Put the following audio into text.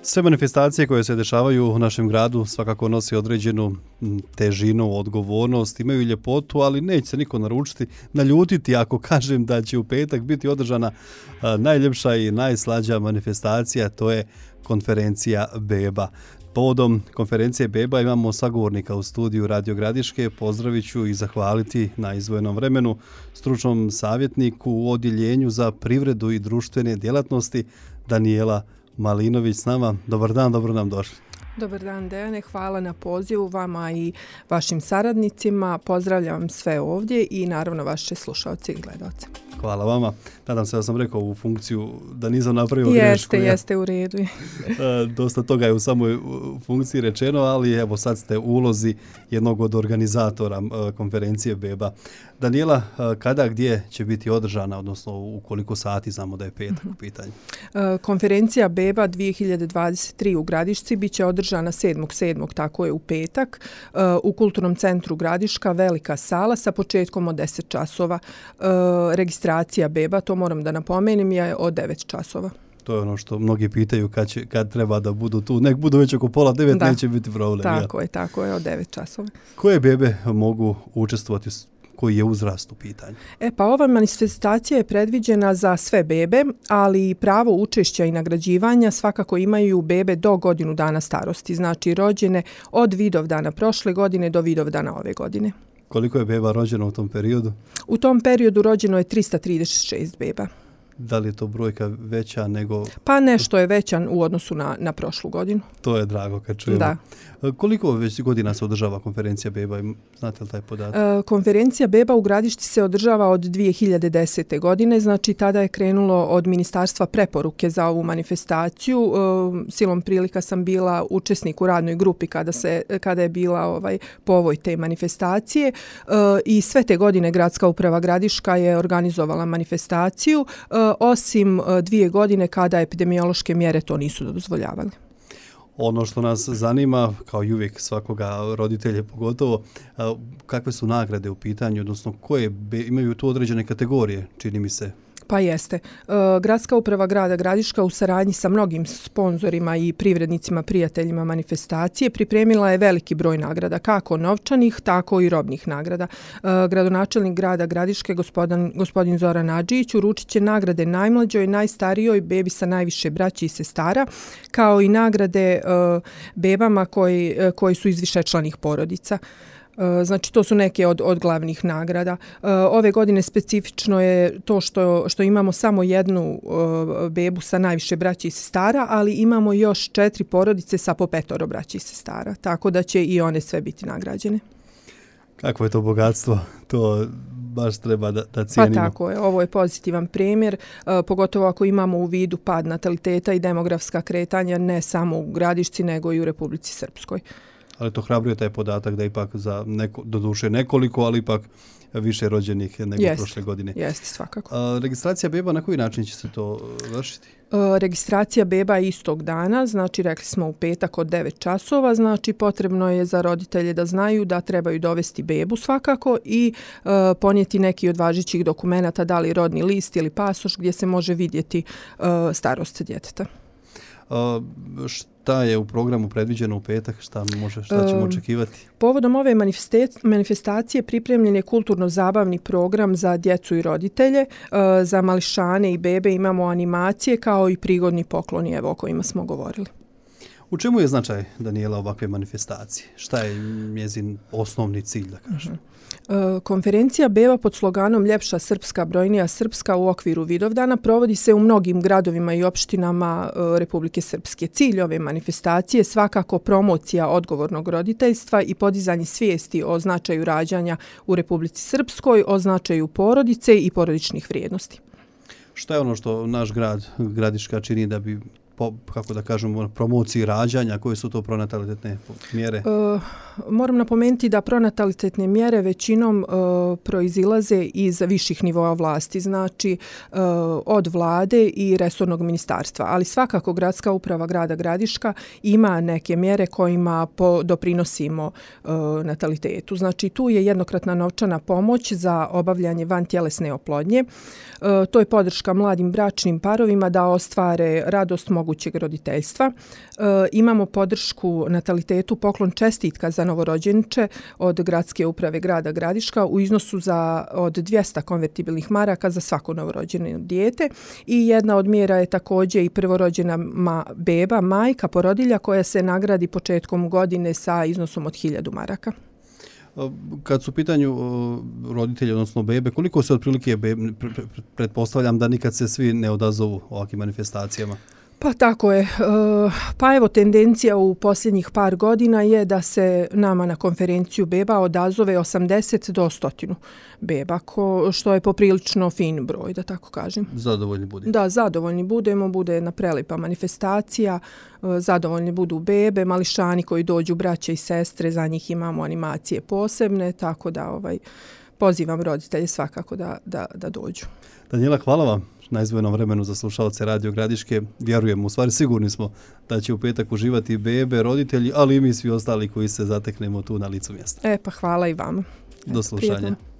Sve manifestacije koje se dešavaju u našem gradu svakako nosi određenu težinu, odgovornost, imaju ljepotu, ali neće se niko naljutiti ako kažem da će u petak biti održana najljepša i najslađa manifestacija, to je konferencija Beba. Povodom konferencije Beba imamo sagovornika u studiju Radio Gradiške. Pozdravit ću i zahvaliti na izdvojenom vremenu stručnom savjetniku u Odjeljenju za privredu i društvene djelatnosti Danijela Malinović s nama. Dobar dan, dobro nam došli. Dobar dan, Dejane. Hvala na pozivu vama i vašim saradnicima. Pozdravljam sve ovdje i naravno vaše slušalce i gledalce. Hvala vama. Nadam se da sam rekao ovu funkciju da nisam napravio grešku. Jeste u redu. Dosta toga je u samoj funkciji rečeno, ali evo sad ste u ulozi jednog od organizatora konferencije Beba. Danijela, kada, gdje će biti održana, odnosno u koliko sati, znamo da je petak u pitanju? Konferencija Beba 2023 u Gradišci bit će održana 7.7. tako je u petak, u Kulturnom centru Gradiška, velika sala sa početkom od 10 časova. Registracija Beba, to moram da napomenem, je od 9 časova. To je ono što mnogi pitaju kad treba da budu tu. Nek budu već oko 8:30, da, neće biti problem. Tako je, od 9 časova. Koje bebe mogu učestvovati, koji je uzrast u pitanju? Pa ova manifestacija je predviđena za sve bebe, ali pravo učešća i nagrađivanja svakako imaju bebe do godinu dana starosti, znači rođene od Vidovdana prošle godine do Vidovdana ove godine. Koliko je beba rođeno u tom periodu? U tom periodu rođeno je 336 beba. Da li je to brojka veća nego... Pa nešto je veća u odnosu na prošlu godinu. To je drago kad čujemo. Da. Koliko već godina se održava konferencija Beba? Znate li taj podatak? Konferencija Beba u Gradišci se održava od 2010. godine, znači tada je krenulo od ministarstva preporuke za ovu manifestaciju. Silom prilika sam bila učesnik u radnoj grupi kada je bila povoj te manifestacije i sve te godine Gradska uprava Gradiška je organizovala manifestaciju, osim 2 godine kada epidemiološke mjere to nisu dozvoljavale. Ono što nas zanima, kao i uvijek svakoga roditelje pogotovo, kakve su nagrade u pitanju, odnosno koje imaju tu određene kategorije, čini mi se. Pa jeste. Gradska uprava grada Gradiška u saradnji sa mnogim sponzorima i privrednicima, prijateljima manifestacije pripremila je veliki broj nagrada, kako novčanih, tako i robnih nagrada. Gradonačelnik grada Gradiške, gospodin Zoran Adžić, uručit će nagrade najmlađoj, najstarijoj bebi sa najviše braći i sestara, kao i nagrade bebama koji su iz višečlanih porodica. Znači, to su neke od glavnih nagrada. Ove godine specifično je to što imamo samo jednu bebu sa najviše braći i sestara, ali imamo još 4 porodice sa po 5 braći i sestara, tako da će i one sve biti nagrađene. Kakvo je to bogatstvo? To baš treba da cijenimo. Pa tako je, ovo je pozitivan primjer, pogotovo ako imamo u vidu pad nataliteta i demografska kretanja ne samo u Gradišci, nego i u Republici Srpskoj. Ali to hrabruje taj podatak da ipak za doduše nekoliko, ali ipak više rođenih nego prošle godine. Jeste, svakako. Registracija beba, na koji način će se to vršiti? Registracija beba je istog dana, znači rekli smo u petak od 9 časova, znači potrebno je za roditelje da znaju da trebaju dovesti bebu svakako i ponijeti neki od važećih dokumenata, da li rodni list ili pasoš gdje se može vidjeti starost djeteta. Šta je u programu predviđeno u petak? Šta ćemo očekivati? Povodom ove manifestacije pripremljen je kulturno-zabavni program za djecu i roditelje. Za mališane i bebe imamo animacije kao i prigodni pokloni o kojima smo govorili. U čemu je značaj, Danijela, ovakve manifestacije? Šta je njezin osnovni cilj, da kažem? Konferencija Beba pod sloganom Ljepša Srpska, brojnija Srpska u okviru Vidovdana provodi se u mnogim gradovima i opštinama Republike Srpske. Cilj ove manifestacije je svakako promocija odgovornog roditeljstva i podizanje svijesti o značaju rađanja u Republici Srpskoj, o značaju porodice i porodičnih vrijednosti. Šta je ono što naš Gradiška čini da bi kako da kažemo, promociji rađanja, koje su to pronatalitetne mjere? Moram napomenuti da pronatalitetne mjere većinom proizilaze iz viših nivoa vlasti, znači od vlade i resornog ministarstva, ali svakako Gradska uprava grada Gradiška ima neke mjere kojima doprinosimo natalitetu. Znači tu je jednokratna novčana pomoć za obavljanje vantjelesne oplodnje. To je podrška mladim bračnim parovima da ostvare radost, mogućeg roditeljstva. Imamo podršku natalitetu, poklon čestitka za novorođenče od Gradske uprave grada Gradiška u iznosu od 200 konvertibilnih maraka za svako novorođeno dijete i jedna od mjera je također i prvorođena beba, majka, porodilja koja se nagradi početkom godine sa iznosom od 1000 maraka. Kad su u pitanju roditelji, odnosno bebe, koliko se otprilike pretpostavljam da nikad se svi ne odazovu ovakvim manifestacijama? Pa tako je. Pa evo, tendencija u posljednjih par godina je da se nama na konferenciju beba odazove 80 do 100 beba, što je poprilično fin broj, da tako kažem. Zadovoljni budemo. Da, zadovoljni budemo, bude jedna prelipa manifestacija, zadovoljni budu bebe, mališani koji dođu, braće i sestre, za njih imamo animacije posebne, tako da pozivam roditelje svakako da dođu. Daniela, hvala vam na izdvojenom vremenu za slušalce Radio Gradiške. Vjerujemo, u stvari sigurni smo da će u petak uživati bebe, roditelji, ali i mi svi ostali koji se zateknemo tu na licu mjesta. Pa hvala i vama. Do slušanja. Prijetno.